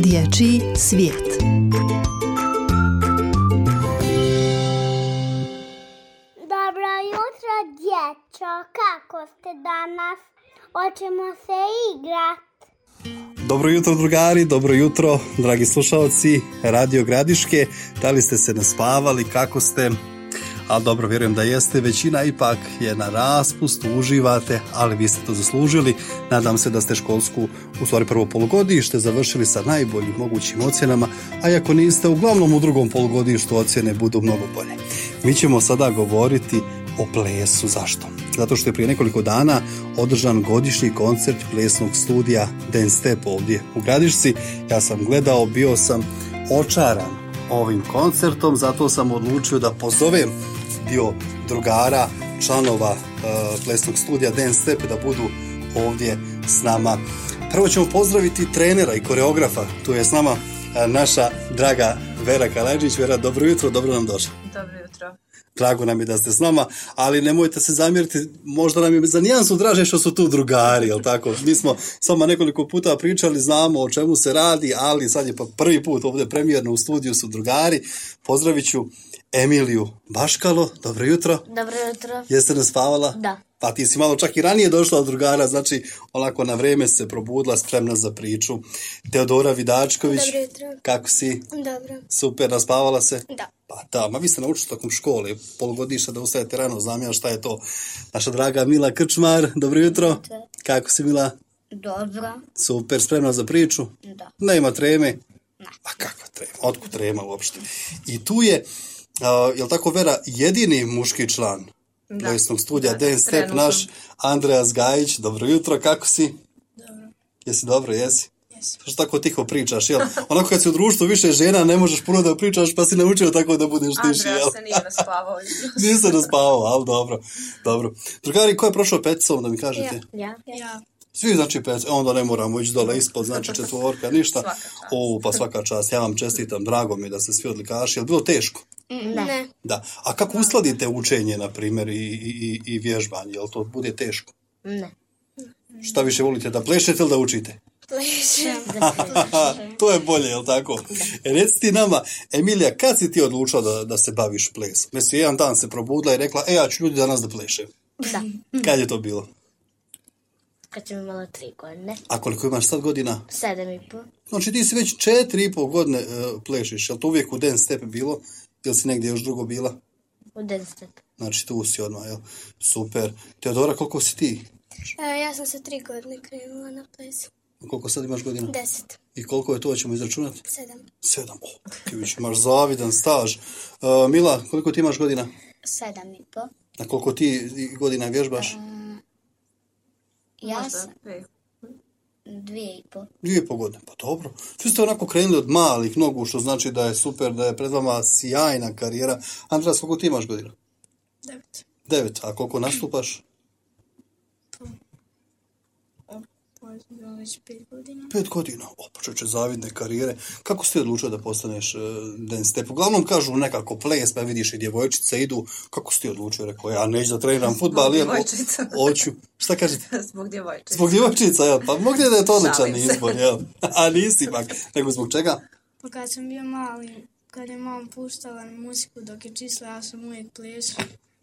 Dječji svijet. Dobro jutro, dječo. Kako ste danas? Hoćemo se igrat. Dobro jutro, drugari, dobro jutro, dragi slušalci Radio Gradiške. Da li ste se naspavali, kako ste? Ali dobro, vjerujem da jeste. Većina ipak je na raspustu, uživate, ali vi ste to zaslužili. Nadam se da ste školsku, u stvari prvo polugodište, završili sa najboljim mogućim ocjenama, a ako niste, uglavnom u drugom polugodištu ocjene budu mnogo bolje. Mi ćemo sada govoriti o plesu. Zašto? Zato što je prije nekoliko dana održan godišnji koncert plesnog studija Dance Step ovdje u Gradišci. Ja sam gledao, bio sam očaran ovim koncertom, zato sam odlučio da pozovem dio drugara, članova plesnog studija Dance Step da budu ovdje s nama. Prvo ćemo pozdraviti trenera i koreografa. Tu je s nama naša draga Vera Kalajđić. Vera, dobro jutro, dobro nam došla. Dobro jutro. Drago nam je da ste s nama, ali nemojte se zamjeriti, možda nam je za nijansu draže što su tu drugari, jel tako? Mi smo s vama nekoliko puta pričali, znamo o čemu se radi, ali sad je pa prvi put ovdje premijerno u studiju su drugari. Pozdravit ću Emiliju Baškalo, dobro jutro. Dobro jutro. Jeste naspavala? Da. Pa ti si malo čak i ranije došla od drugara, znači onako na vrijeme se probudila, spremna za priču. Teodora Vidačković. Dobro jutro. Kako si? Dobro. Super, naspavala se? Da. Pa da, ma vi ste naučili tokom škole, polugodišta da ustajete rano, znam ja šta je to. Naša draga Mila Krčmar, dobro jutro. Kako si, Mila? Dobro. Super, spremna za priču? Da. Nema treme? A kakva trema? Otkud trema uopšte? I tu je, jel tako Vera, jedini muški član plesnog studija Dance Step, naš Andreas Gajić. Dobro jutro, kako si? Dobro. Jesi dobro, jesi? Što tako tiho pričaš, jel? Onako kad si u društvu više žena, ne možeš puno da pričaš, pa si naučio tako da budeš tiši, jel? Andreas se nije naspavao. Nisi se naspavao, ali dobro. Drugari, ko je prošao peticom, da mi kažete? Ja. Svi znači pet, onda ne moramo ići dole ispod, znači četvorka, ništa. Svaka čast. Pa svaka čast, ja vam čestitam, drago mi je da ste svi odlikaši. Je li bilo teško? Ne. Da. A kako uskladite učenje, na primjer, i vježbanje? Je li to bude teško? Ne. Šta više volite, da plešete ili da učite? Plešem. To je bolje, jel tako? Reci ti nama, Emilija, kad si ti odlučila da se baviš plesom? Mislim, jedan dan se probudila i rekla, ja ću ljudi danas da plešem. Da. Kad je to bilo? Kad sam imala 3 godine. A koliko imaš sad godina? 7,5. Znači ti si već 4,5 godine plešiš. Je li to uvijek u Dance Step bilo? Ili si negdje još drugo bila? U Dance Step. Znači tu si odmah, jel? Super. Teodora, koliko si ti? Ja sam sa 3 godine krenula na ples. Koliko sad imaš godina? 10. I koliko je to, ćemo izračunati? 7. 7. Ti već imaš zavidan staž. Mila, koliko ti imaš godina? 7,5. Na koliko ti godina vježbaš? Ja sam 2,5. 2,5 godine, pa dobro. Svi ste onako krenuli od malih nogu, što znači da je super, da je pred vama sjajna karijera. Andras, koliko ti imaš godina? 9. 9. A koliko nastupaš? Već 5 godina. 5 godina. Počeće zavidne karijere. Kako si ti odlučio da postaneš Dance Step? Uglavnom kažu nekako ples, pa vidiš i djevojčice idu. Kako si ti odlučio? Rekao, ja neću da treniram fudbal. Zbog djevojčica. Hoću. Šta kažete? Zbog djevojčica. Zbog djevojčica, jel? Pa mogu da je to odličan Šalim se. izbor, jel? A nisi ipak. Nego zbog čega? Pa kad sam bio mali, kad je mama puštala muziku dok je čisla, ja sam uvijek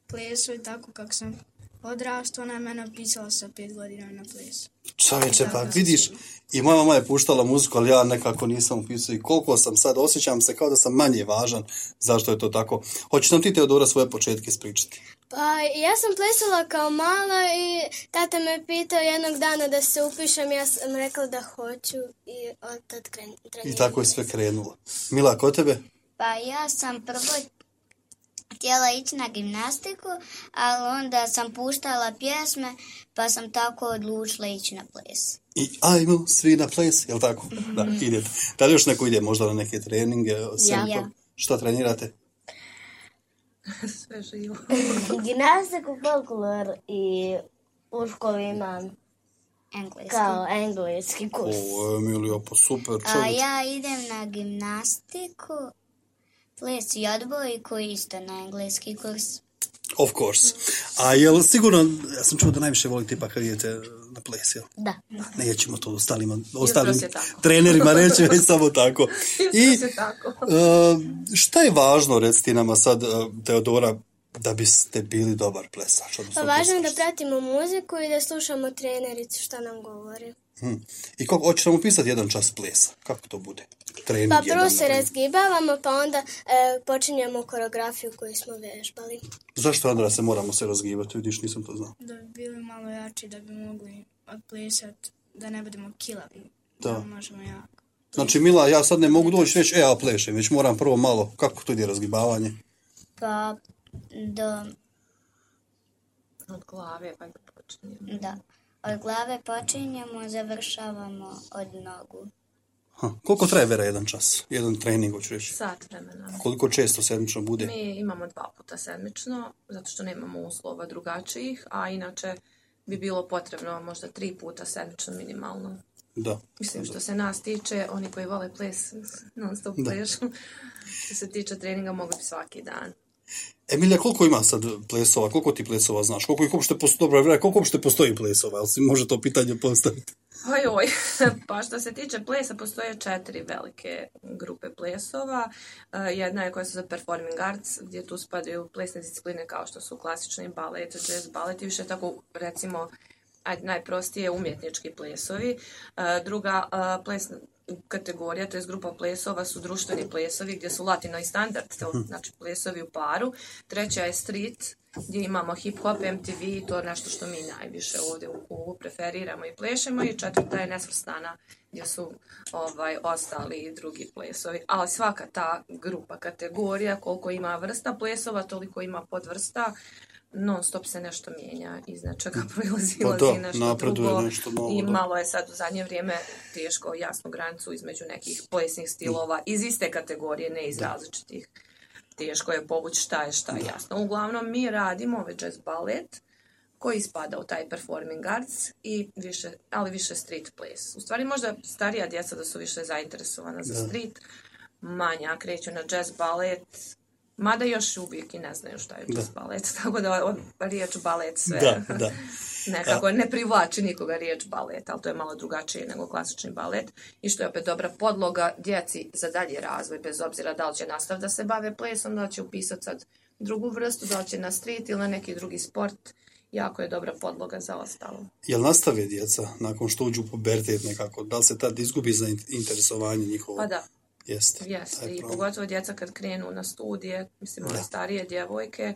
plesao i tako kako sam odrastao, ona je mene upisala sa 5 godina na ples. Čovječe, pa vidiš, i moja mama je puštala muziku, ali ja nekako nisam upisao i koliko sam sad, osjećam se kao da sam manje važan. Zašto je to tako? Hoćeš nam ti, Teodora, svoje početke ispričati? Pa ja sam plesala kao mala i tata me pitao jednog dana da se upišem, ja sam rekla da hoću i od tad trenirala. I tako je sve krenulo. Mila, kod tebe? Pa ja sam prvo htjela ići na gimnastiku, ali onda sam puštala pjesme, pa sam tako odlučila ići na ples. I ajmo svi na ples, jel tako? Da, idete. Da li još neko ide možda na neke treninge? Ja. Šta trenirate? Sve živo. Gimnastiku, folklor i u školi imam Engleski. kao engleski kurs. O, Emilija, pa super A čovječ. ja idem na gimnastiku, ples i odbojku, isto na engleski kurs. Of course. A jel sigurno, ja sam čuo da najviše volite ipak kad idete na ples, jel? Da. Nećemo to ostalim je tako. trenerima reći, već samo tako. Jutros je tako. Šta je važno, recite nama sad, Teodora, da biste bili dobar plesač? Pa važno je da pratimo muziku i da slušamo trenericu šta nam govori. I kako, hoćeš nam upisati jedan čas plesa? Kako to bude? Trening Pa jedan, prvo se naprimjer. razgibavamo, pa onda počinjemo koreografiju koju smo vežbali. Zašto, Andra, se moramo se razgibati? Vidiš, nisam to znao. Da bi bili malo jači, da bi mogli odplesati, da ne budemo kilavi. Da. Možemo jako. Znači, Mila, ja sad ne mogu doći reći, ja plešem, već moram prvo malo, kako to ide razgibavanje? Pa Od glave pa počinjemo. da. Od glave počinjemo, završavamo od nogu. Koliko traje Vera jedan čas? Jedan trening, hoću reći. Sat vremena. Koliko često sedmično bude? Mi imamo 2 puta sedmično, zato što nemamo uslova drugačijih, a inače bi bilo potrebno možda 3 puta sedmično minimalno. Da. Mislim, što se nas tiče, oni koji vole ples, non stop plešu. Što se tiče treninga, mogu bi svaki dan. Emilija, koliko ima sad plesova? Koliko ti plesova znaš? Koliko ih uopšte postoji? Dobro, Vera, koliko uopšte postoji plesova? Jel si može to pitanje postaviti? Oj, pa što se tiče plesa, postoje 4 velike grupe plesova. Jedna je koja se zove Performing Arts, gdje tu spadaju plesne discipline kao što su klasični balet, jazz balet i više tako, recimo, najprostije umjetnički plesovi. Druga plesna kategorija, to je grupa plesova, su društveni plesovi gdje su latino i standard, znači plesovi u paru. Treća je street, gdje imamo hip-hop, MTV, to je nešto što mi najviše ovdje u klubu preferiramo i plešemo. I četvrta je nesvrstana, gdje su ostali drugi plesovi. Ali svaka ta grupa kategorija, koliko ima vrsta plesova, toliko ima podvrsta. Non stop se nešto mijenja, iz nečega proilazi nešto drugo. Nešto novo, I malo je sad u zadnje vrijeme teško jasnu granicu između nekih plesnih stilova iz iste kategorije, ne iz različitih. Teško je povući šta je jasno. Uglavnom mi radimo ovaj jazz balet koji spada u taj performing arts ali više street ples. U stvari možda starija djeca da su više zainteresovana za street, manja kreću na jazz balet. Mada još uvijek i ne znaju šta je jazz balet, tako da riječ balet sve nekako ne privlači nikoga riječ balet, ali to je malo drugačije nego klasični balet i što je opet dobra podloga djeci za dalji razvoj, bez obzira da li će nastaviti da se bave plesom, da li će upisati sad drugu vrstu, da li će na street ili na neki drugi sport, jako je dobra podloga za ostalo. Jel nastave djeca nakon što uđu u pubertet nekako? Da li se tad izgubi za interesovanje njihovo? Pa da. Jeste. I pogotovo djeca kad krenu na studije, mislim one starije djevojke,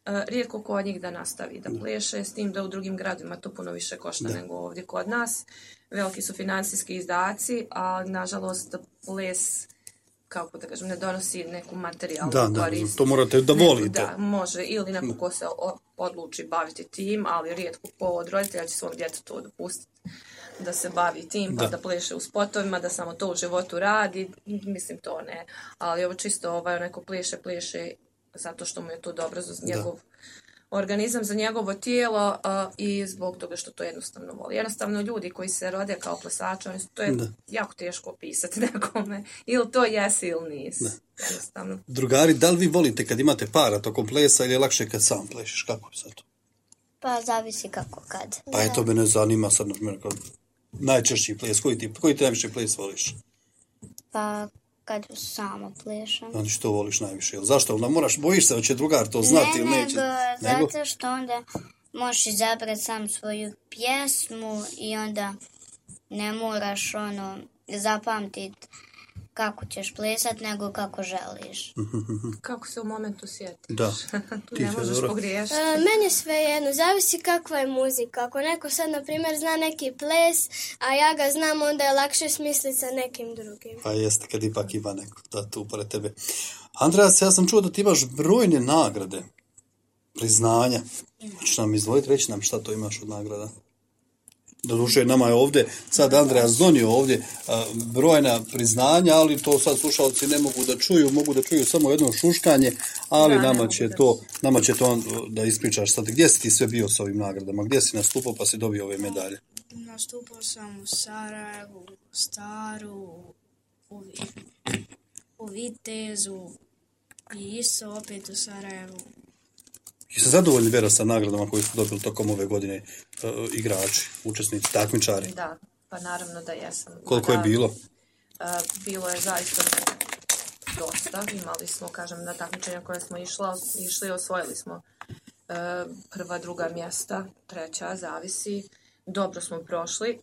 rijetko ko od njih da nastavi da pleše, s tim da u drugim gradima to puno više košta nego ovdje kod nas. Veliki su financijski izdaci, a nažalost ples, kako da kažem, ne donosi neku materijalnu korist. Da, to morate da volite. Da, može, ili neko ko se odluči baviti tim, ali rijetko ko od roditelja će svom djetetu dopustiti da se bavi tim, pa da pleše u spotovima, da samo to u životu radi, mislim to ne. Ali ovo čisto neko pleše zato što mu je to dobro za njegov organizam, za njegovo tijelo i zbog toga što to jednostavno voli. Jednostavno ljudi koji se rode kao plesači, to je jako teško opisati nekome. Ili to jesi ili nisi. Jednostavno. Drugari, da li vi volite kad imate para tokom plesa ili je lakše kad sam plešeš? Kako je sad to? Pa zavisi kako kad. Pa eto mene zanima sad, na primjer, najčešći ples. Koji ti najviše ples voliš? Pa kad samo plešem. Znači što voliš najviše? Zašto? Onda bojiš se da će drugar to znati ili neće? Nego, zato što onda možeš izabrati sam svoju pjesmu i onda ne moraš zapamtiti kako ćeš plesati, nego kako želiš. Kako se u momentu sjetiš. Da. Tu ne možeš pogriješiti. Meni sve jedno, zavisi kakva je muzika. Ako neko sad, na primjer, zna neki ples, a ja ga znam, onda je lakše smisliti sa nekim drugim. Pa jeste, kad ipak ima neko da tu pored tebe. Andreas, ja sam čuo da ti imaš brojne nagrade, priznanja. Hoćeš nam izvoliti, reći nam šta to imaš od nagrada? Doduše, nama je ovdje, sad Andreas donio ovdje brojna priznanja, ali to sad slušalci ne mogu da čuju, mogu da čuju samo jedno šuškanje, ali nama će to da ispričaš sad. Gdje si ti sve bio s ovim nagradama? Gdje si nastupao pa si dobio ove medalje? Nastupao sam u Sarajevu, u Staru, u Vitezu i isto opet u Sarajevu. Jeste zadovoljni, Vera, sa nagradama koje su dobili tokom ove godine igrači, učesnici, takmičari? Da, pa naravno da jesam. Koliko je bilo? Bilo je zaista dosta. Imali smo, kažem, na takmičenja koje smo išli, osvojili smo prva, druga mjesta, treća, zavisi. Dobro smo prošli.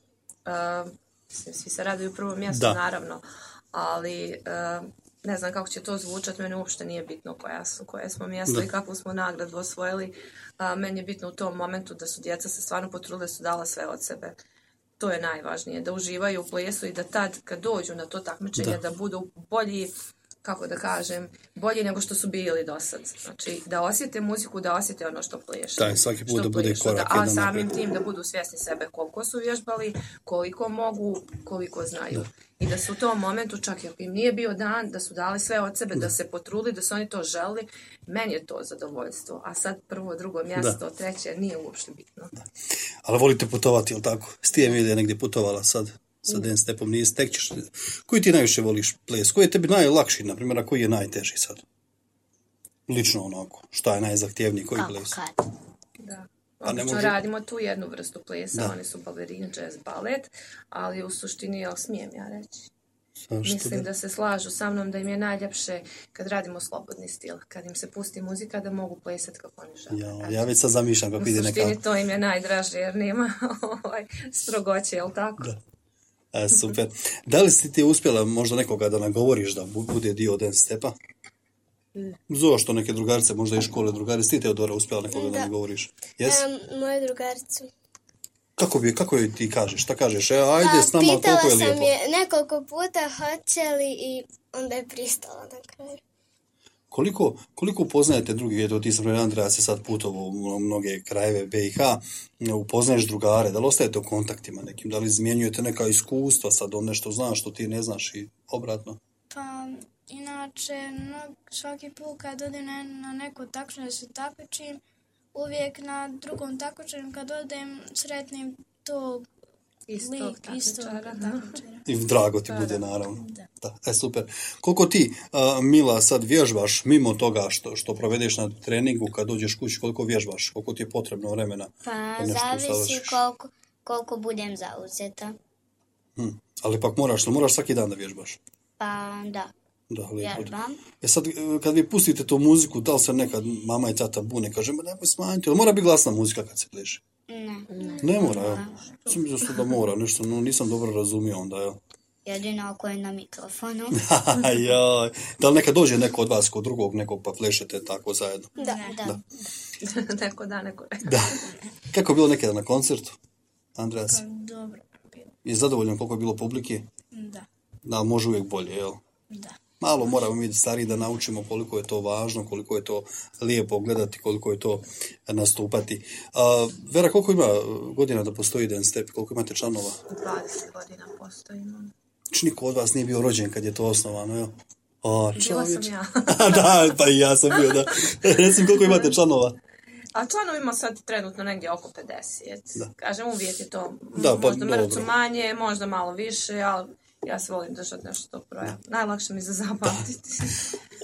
Svi se raduju prvo mjesto, naravno, ali ne znam kako će to zvučati, meni uopšte nije bitno koje smo mjesto i kakvu smo nagradu osvojili. Meni je bitno u tom momentu da su djeca se stvarno potrudile, su dala sve od sebe. To je najvažnije, da uživaju u plesu i da tad kad dođu na to takmičenje da budu bolji, kako da kažem, bolji nego što su bili do sad. Znači, da osjete muziku, da osjete ono što pleše. Da, svaki put da bude korak jedan. A samim tim da budu svjesni sebe koliko su vježbali, koliko mogu, koliko znaju. I da su u tom momentu, čak i ako im nije bio dan, da su dali sve od sebe, da se potrudili, da su oni to želili. Meni je to zadovoljstvo. A sad prvo, drugo mjesto, treće, nije uopšte bitno. Da. Ali volite putovati, jel tako? Stije Emilija negdje putovala sad? Sa dance stepom nije stekćeš. Koji ti najviše voliš ples? Koji je tebi najlakši, na primjer, a koji je najteži sad? Lično onako. Šta je najzahtjevniji, koji ples? Da. Obično radimo tu jednu vrstu plesa, oni su balerini, jazz, balet, ali u suštini, jel smijem ja reći? Mislim da se slažu sa mnom da im je najljepše kad radimo slobodni stil, kad im se pusti muzika da mogu plesati kako oni žele. Ja već sad zamišljam kako ide neka... U suštini to im je najdraže jer nema strogoće, jel tako? Da. Super. Da li si ti uspjela možda nekoga da nagovoriš da bude dio dance stepa? Zove što neke drugarice, možda i škole drugarice, ti Teodora uspjela nekoga da nagovoriš? Moju drugaricu. Kako joj ti kažeš? Šta kažeš? Ajde s nama, koliko je lijepo? Pitala sam je nekoliko puta hoće li i onda je pristala na kraju. Koliko upoznajete drugi, eto ti sam Andreja se sad putovao u mnoge krajeve BiH, upoznaješ drugare, da li ostajete u kontaktima nekim, da li izmjenjujete neka iskustva, sad on nešto znaš što ti ne znaš i obratno? Pa, inače, svaki put kad odem na neko takmičenje da se takmičim, uvijek na drugom takmičenju kad odem sretnim tog istog takmičara. I drago ti bude, naravno. Da. Super. Koliko ti, Mila, sad vježbaš mimo toga što provedeš na treningu, kad dođeš kući, koliko vježbaš? Koliko ti je potrebno vremena? Pa, zavisi koliko budem zauzeta. Ali pak moraš svaki dan da vježbaš? Pa, da. Vježbam. Sad, kad vi pustite tu muziku, da li se nekad mama i tata bune, kaže, nemoj smanjiti, ali mora biti glasna muzika kad se pleše? Ne mora, jel? Sam mislio da mora, nešto, nisam dobro razumio onda, jel? Jedino ako je na mikrofonu. Joj. Da li nekad dođe neko od vas kod drugog nekog pa plešete tako zajedno? Da. Neko da, neko ne. Da. Kako je bilo nekada na koncertu, Andreas? Dobro. Je zadovoljan koliko je bilo publike? Da. Da, može uvijek bolje, jel? Da. Malo moramo mi stariji da naučimo koliko je to važno, koliko je to lijepo gledati, koliko je to nastupati. Vera, koliko ima godina da postoji dance step? Koliko imate članova? 20 godina postojimo. Niko od vas nije bio rođen kad je to osnovano, jel? Bila sam ja. Da, pa i ja sam bio, da. Recimo, koliko imate članova? A članovima sad trenutno negdje oko 50. Da. Kažem, uvijek je to možda mrcu manje, možda malo više, ali ja se volim držati nešto tog broja. Najlakše mi za zapamtiti.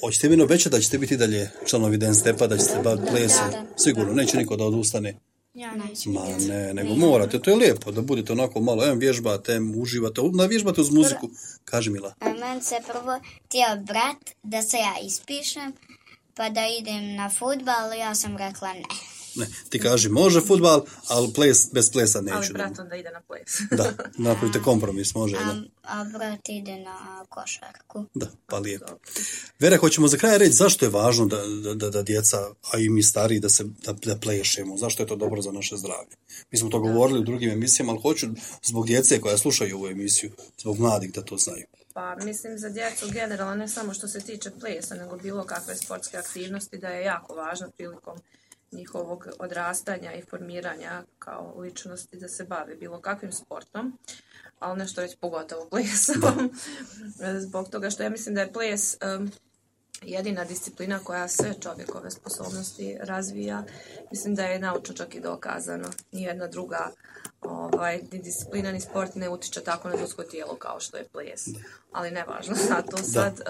Hoćete mi obećati da ćete biti dalje članovi dance stepa, da ćete baviti plesom? Sigurno, neće niko da odustane. Ja neću. Ma ne, nego morate, to je lijepo, da budete onako malo, vježbate, uživate, vježbate uz muziku. Kaži, Mila. Meni se prvo htio brat da se ja ispišem, pa da idem na fudbal, ja sam rekla ne. Ne, ti kaži može fudbal, ali bez plesa neću. Ali brat onda ide na ples. Da, napravite kompromis, može. A brat ide na košarku. Da, pa lijepo. Vera, hoćemo za kraj reći zašto je važno da djeca, a i mi stariji, da plešemo. Zašto je to dobro za naše zdravlje? Mi smo to govorili u drugim emisijama, ali hoću zbog djece koja slušaju ovu emisiju, zbog mladih da to znaju. Pa mislim za djecu generalno, ne samo što se tiče plesa, nego bilo kakve sportske aktivnosti, da je jako važno prilikom njihovog odrastanja i formiranja kao ličnosti da se bave bilo kakvim sportom, ali nešto već pogotovo plesom. Zbog toga što ja mislim da je ples jedina disciplina koja sve čovjekove sposobnosti razvija. Mislim da je naučno čak i dokazano. Nijedna druga ni disciplina ni sport ne utiče tako na ljudsko tijelo kao što je ples. Ali nevažno zato sad.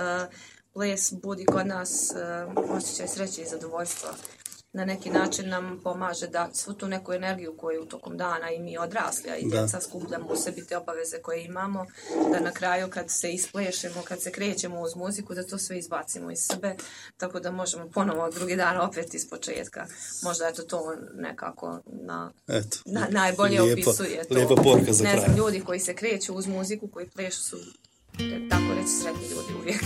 Ples budi kod nas osjećaj sreće i zadovoljstva. na neki način nam pomaže da svu tu neku energiju koju tokom dana i mi odrasli, a i djeca skupljamo u sebi te obaveze koje imamo, da na kraju kad se isplešemo, kad se krećemo uz muziku, da to sve izbacimo iz sebe, tako da možemo ponovo drugi dan opet iz početka. Možda eto to nekako najbolje opisuje to. Lijepa poruka za kraj. Ne znam, ljudi koji se kreću uz muziku, koji plešu su, tako reći, sretni ljudi uvijek.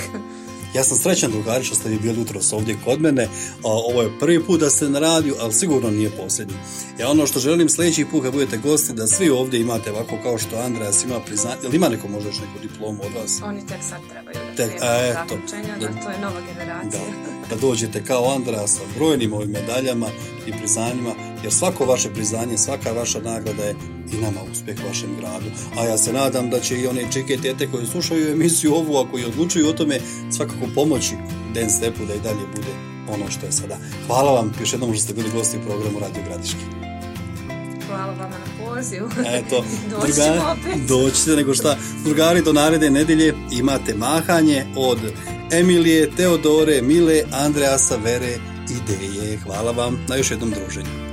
Ja sam srećan, drugari, što ste vi bili jutros ovdje kod mene. Ovo je prvi put da ste na radiju, ali sigurno nije posljednji. Ja ono što želim sljedeći put kad budete gosti, da svi ovdje imate ovako kao što Andreas ima priznanje. Ili ima neko možda još neku diplomu od vas? Oni tek sad trebaju da zaključenja, to je nova generacija. Da dođete kao Andreas sa brojnim ovim medaljama i priznanjima, jer svako vaše priznanje, svaka vaša nagrada je i nama uspjeh vašem gradu. A ja se nadam da će i one čike tete koje slušaju emisiju ovu, a koji odlučuju o tome, svakako pomoći Dance Stepu da i dalje bude ono što je sada. Hvala vam još jednom što ste bili gosti u programu Radio Gradiški. Hvala vama na pozivu. Eto, Doćemo opet. Doćete, nego šta. Drugari, do naredne nedelje imate mahanje od Emilije, Teodore, Mile, Andreasa, Vere i Deje. Hvala vam na još jednom druženju.